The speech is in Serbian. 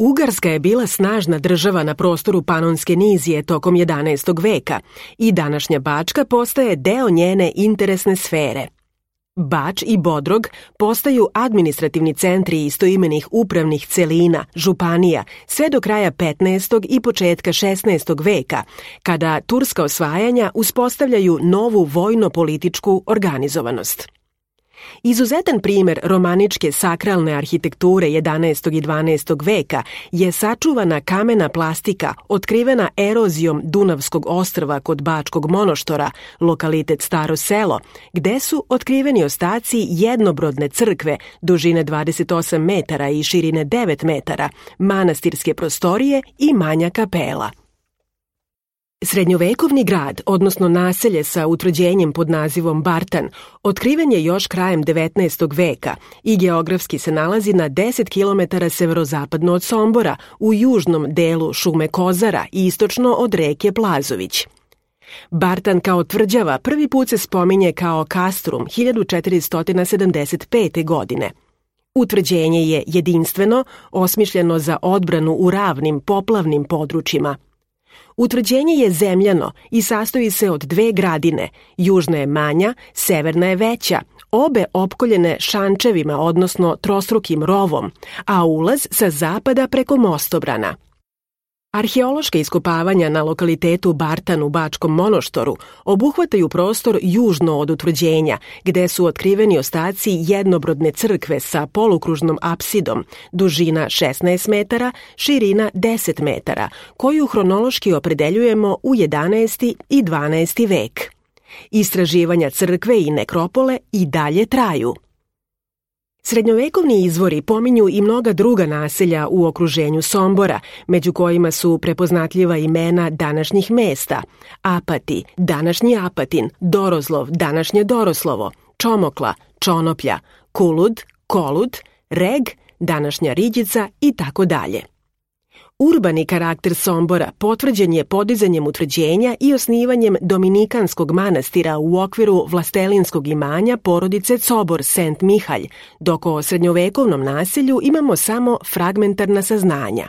Ugarska je bila snažna država na prostoru Panonske nizije tokom 11. veka i današnja Bačka postaje deo njene interesne sfere. Bač i Bodrog postaju administrativni centri istoimenih upravnih celina, županija, sve do kraja 15. i početka 16. veka, kada turska osvajanja uspostavljaju novu vojno-političku organizovanost. Izuzetan primer romaničke sakralne arhitekture 11. i 12. veka je sačuvana kamena plastika otkrivena erozijom Dunavskog ostrva kod Bačkog Monoštora, lokalitet Staro selo, gde su otkriveni ostaci jednobrodne crkve dužine 28 metara i širine 9 metara, manastirske prostorije i manja kapela. Srednjovekovni grad, odnosno naselje sa utvrđenjem pod nazivom Bartan, otkriven je još krajem 19. veka i geografski se nalazi na 10 km severozapadno od Sombora, u južnom delu šume Kozara i istočno od reke Plazović. Bartan kao tvrđava prvi put se spominje kao Castrum 1475. godine. Utvrđenje je jedinstveno, osmišljeno za odbranu u ravnim, poplavnim područjima. Utvrđenje je zemljano i sastoji se od dve gradine, južna je manja, severna je veća, obe opkoljene šančevima, odnosno trostrukim rovom, a ulaz sa zapada preko mostobrana. Arheološka iskopavanja na lokalitetu Bartan u Bačkom Monoštoru obuhvataju prostor južno od utvrđenja, gde su otkriveni ostaci jednobrodne crkve sa polukružnom apsidom, dužina 16 metara, širina 10 metara, koju hronološki opredeljujemo u 11. i 12. vek. Istraživanja crkve i nekropole i dalje traju. Srednjovekovni izvori pominju i mnoga druga naselja u okruženju Sombora, među kojima su prepoznatljiva imena današnjih mesta: Apati, današnji Apatin, Dorozlov, današnje Doroslovo, Čomokla, Čonoplja, Kulud, Kolud, Reg, današnja Riđica i tako dalje. Urbani karakter Sombora potvrđen je podizanjem utvrđenja i osnivanjem Dominikanskog manastira u okviru vlastelinskog imanja porodice Cobor Sent Mihalj, dok o srednjovekovnom naselju imamo samo fragmentarna saznanja.